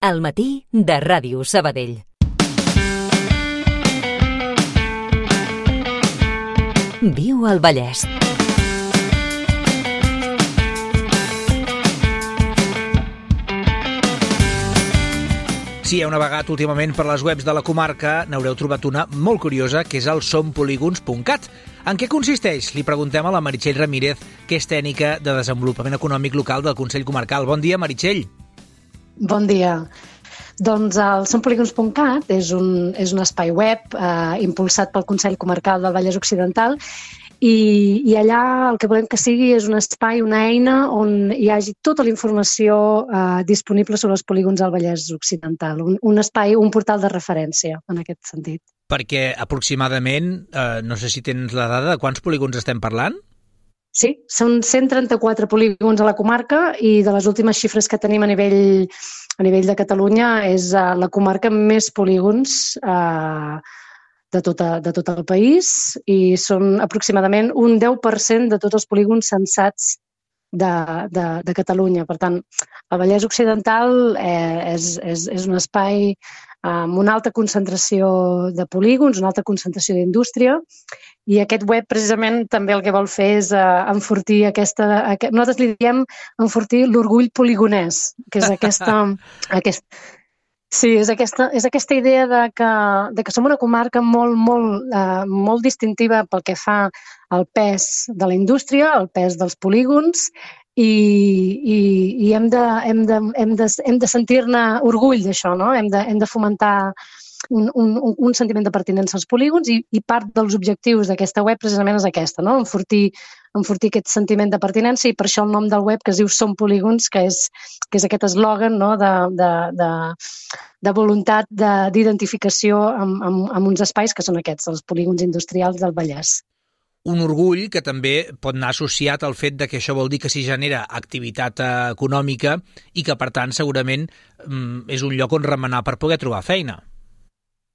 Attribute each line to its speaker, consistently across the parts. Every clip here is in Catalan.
Speaker 1: Al matí de Ràdio Sabadell. Viu al Vallès.
Speaker 2: Si heu navegat últimament per les webs de la comarca, n'haureu trobat una molt curiosa, que és el sompolígons.cat. En què consisteix? Li preguntem a la Meritxell Ramírez, que és tècnica de desenvolupament econòmic local del Consell Comarcal. Bon dia, Meritxell.
Speaker 3: Bon dia. Doncs el sompolígons.cat és un espai web impulsat pel Consell Comarcal del Vallès Occidental i allà el que volem que sigui és un espai, una eina on hi hagi tota la informació disponible sobre els polígons del Vallès Occidental. Un espai, un portal de referència en aquest sentit.
Speaker 2: Perquè aproximadament, no sé si tens la dada, de quants polígons estem parlant?
Speaker 3: Sí, són 134 polígons a la comarca i de les últimes xifres que tenim a nivell de Catalunya és la comarca amb més polígons de tot el país i són aproximadament un 10% de tots els polígons censats de Catalunya. Per tant, el Vallès Occidental és un espai amb una alta concentració de polígons, una alta concentració d'indústria, i aquest web precisament també el que vol fer és enfortir nosaltres li diem enfortir l'orgull poligonès, que és aquesta idea de que som una comarca molt distintiva pel que fa al pes de la indústria, al pes dels polígons, i hem de sentir-ne orgull d'això, no? Hem de fomentar un sentiment de pertinença als polígons i part dels objectius d'aquesta web precisament és aquesta, no? Enfortir aquest sentiment de pertinença, i per això el nom del web, que es diu Som Polígons, que és aquest eslògan, no? de voluntat d'identificació amb uns espais que són aquests, els polígons industrials del Vallès.
Speaker 2: Un orgull que també pot anar associat al fet de que això vol dir que s'hi genera activitat econòmica i que, per tant, segurament és un lloc on remenar per poder trobar feina.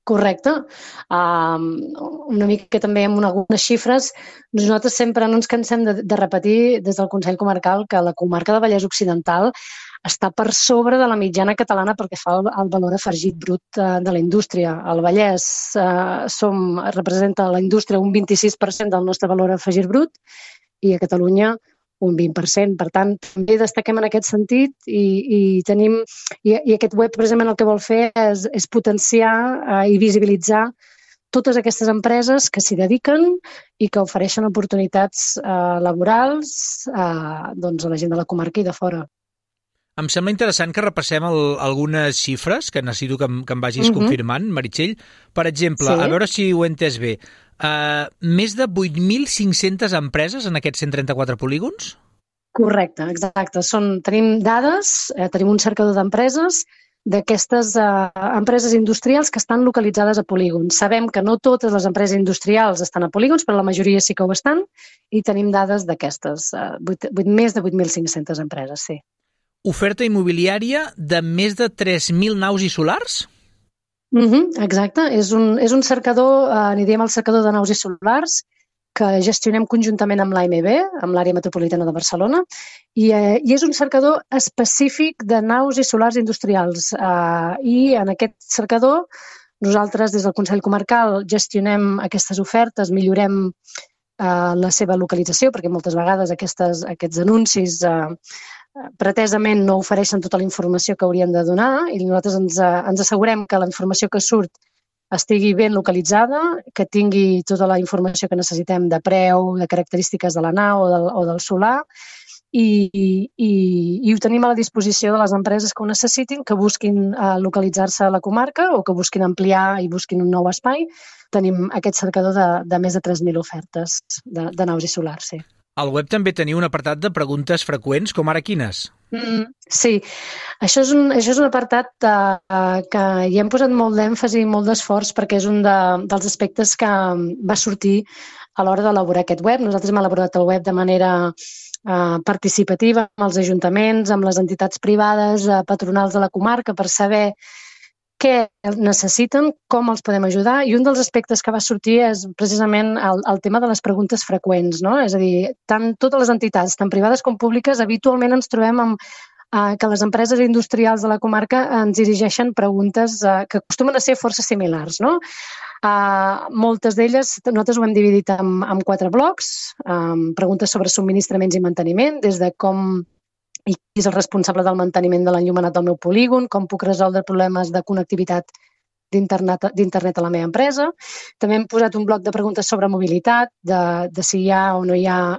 Speaker 3: Correcte. Una mica també amb algunes xifres. Nosaltres sempre no ens cansem de repetir des del Consell Comarcal que la comarca del Vallès Occidental està per sobre de la mitjana catalana pel que fa al valor afegit brut de la indústria. Al Vallès representa la indústria un 26% del nostre valor afegit brut i a Catalunya un 20%. Per tant, també destaquem en aquest sentit i aquest web precisament el que vol fer és potenciar i visibilitzar totes aquestes empreses que s'hi dediquen i que ofereixen oportunitats laborals a la gent de la comarca i de fora.
Speaker 2: Em sembla interessant que repassem algunes xifres que necessito que em vagis confirmant, Meritxell. Per exemple, a veure si ho he entès bé, més de 8.500 empreses en aquests 134 polígons?
Speaker 3: Correcte, exacte. Tenim dades, tenim un cercador d'empreses, d'aquestes empreses industrials que estan localitzades a polígons. Sabem que no totes les empreses industrials estan a polígons, però la majoria sí que ho estan, i tenim dades d'aquestes, més de 8.500 empreses, sí.
Speaker 2: Oferta immobiliària de més de 3.000 naus i solars?
Speaker 3: Exacte, és un cercador, n'hi diem el cercador de naus i solars, que gestionem conjuntament amb l'AMB, amb l'àrea metropolitana de Barcelona, i és un cercador específic de naus i solars industrials. I en aquest cercador nosaltres des del Consell Comarcal gestionem aquestes ofertes, millorem la seva localització, perquè moltes vegades aquests anuncis pretesament no ofereixen tota la informació que haurien de donar, i nosaltres ens assegurem que la informació que surt estigui ben localitzada, que tingui tota la informació que necessitem de preu, de característiques de la nau o del solar, i ho tenim a la disposició de les empreses que ho necessitin, que busquin localitzar-se a la comarca o que busquin ampliar i busquin un nou espai. Tenim aquest cercador de més de 3.000 ofertes de naus i solars, sí.
Speaker 2: Al web també teniu un apartat de preguntes freqüents, com ara quines?
Speaker 3: Sí, això és un apartat que hi hem posat molt d'èmfasi i molt d'esforç perquè és un dels aspectes que va sortir a l'hora d'elaborar aquest web. Nosaltres hem elaborat el web de manera participativa amb els ajuntaments, amb les entitats privades, patronals de la comarca, per saber què necessiten, com els podem ajudar, i un dels aspectes que va sortir és precisament el tema de les preguntes freqüents, no? És a dir, totes les entitats, tant privades com públiques, habitualment ens trobem que les empreses industrials de la comarca ens dirigeixen preguntes que acostumen a ser força similars, no? Moltes d'elles nosaltres ho hem dividit en 4 blocs, preguntes sobre subministraments i manteniment, des de com i qui és el responsable del manteniment de l'enllumenat del meu polígon, com puc resoldre problemes de connectivitat d'internet a la meva empresa. També hem posat un bloc de preguntes sobre mobilitat, de si hi ha o no hi ha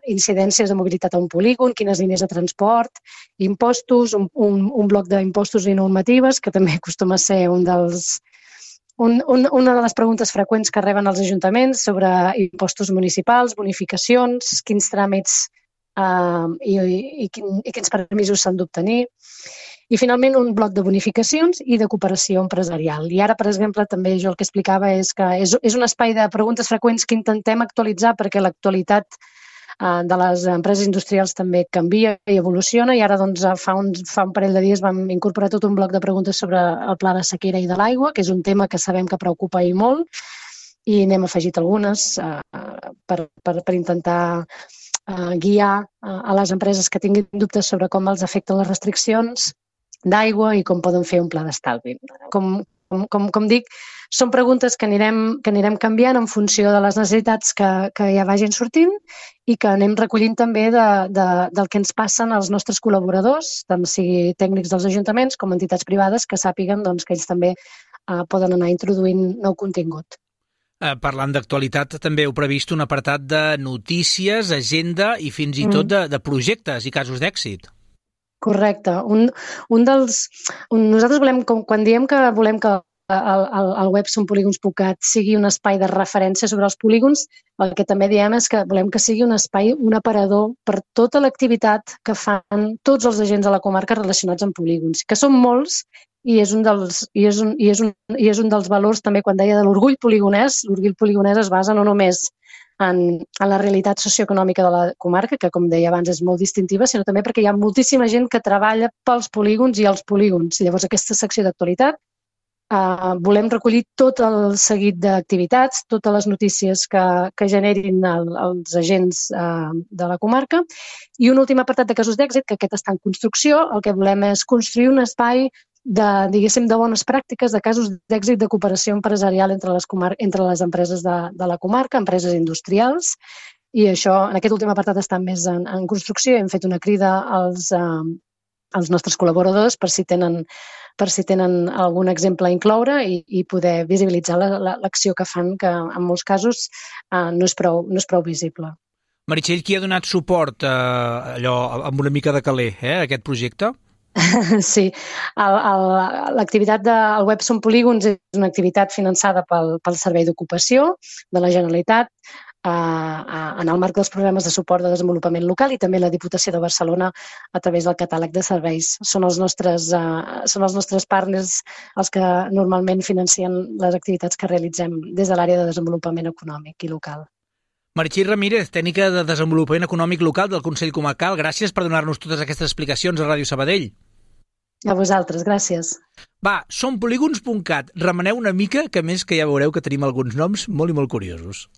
Speaker 3: incidències de mobilitat a un polígon, quines línies de transport, impostos, un bloc d'impostos i normatives, que també acostuma a ser una de les preguntes freqüents que reben els ajuntaments sobre impostos municipals, bonificacions, quins tràmits i quins permisos s'han d'obtenir. I finalment un bloc de bonificacions i de cooperació empresarial. I ara, per exemple, també jo el que explicava és que és un espai de preguntes freqüents que intentem actualitzar perquè l'actualitat de les empreses industrials també canvia i evoluciona i ara doncs, fa un parell de dies vam incorporar tot un bloc de preguntes sobre el pla de sequera i de l'aigua, que és un tema que sabem que preocupa i molt, i n'hem afegit algunes per intentar guiar a les empreses que tinguin dubtes sobre com els afecten les restriccions d'aigua i com poden fer un pla d'estalvi. Com dic, són preguntes que anirem canviant en funció de les necessitats que ja vagin sortint i que anem recollint també del que ens passen als nostres col·laboradors, tant sigui tècnics dels ajuntaments com entitats privades, que sàpiguen que ells també poden anar introduint nou contingut.
Speaker 2: Parlant d'actualitat, també heu previst un apartat de notícies, agenda i fins i tot de projectes i casos d'èxit.
Speaker 3: Correcte. Nosaltres volem, quan diem que volem que el web sonpolígons.cat sigui un espai de referència sobre els polígons, el que també diem és que volem que sigui un espai, un aparador per tota l'activitat que fan tots els agents de la comarca relacionats amb polígons, que són molts i és un dels valors també quan deia de l'orgull poligonès. L'orgull poligonès es basa no només en la realitat socioeconòmica de la comarca, que, com deia abans, és molt distintiva, sinó també perquè hi ha moltíssima gent que treballa pels polígons i als polígons. Llavors, aquesta secció d'actualitat volem recollir tot el seguit d'activitats, totes les notícies que generin els agents de la comarca. I un últim apartat de casos d'èxit, que aquest està en construcció. El que volem és construir un espai de bones pràctiques, de casos d'èxit de cooperació empresarial entre les empreses de la comarca, empreses industrials, i això, en aquest últim apartat, està més en construcció. Hem fet una crida als nostres col·laboradors per si tenen algun exemple a incloure i poder visibilitzar l'acció que fan, que en molts casos no és prou visible.
Speaker 2: Meritxell, qui ha donat suport amb una mica de caler a aquest projecte?
Speaker 3: Sí, l'activitat del web Som Polígons és una activitat finançada pel Servei d'Ocupació de la Generalitat en el marc dels programes de suport de desenvolupament local i també la Diputació de Barcelona a través del catàleg de serveis. Són els nostres partners els que normalment financen les activitats que realitzem des de l'àrea de desenvolupament econòmic i local.
Speaker 2: Meritxell Ramírez, tècnica de desenvolupament econòmic local del Consell Comarcal, gràcies per donar-nos totes aquestes explicacions a Ràdio Sabadell.
Speaker 3: A vosaltres, gràcies.
Speaker 2: Va, sonpolígons.cat, remeneu una mica, que més que ja veureu que tenim alguns noms molt i molt curiosos.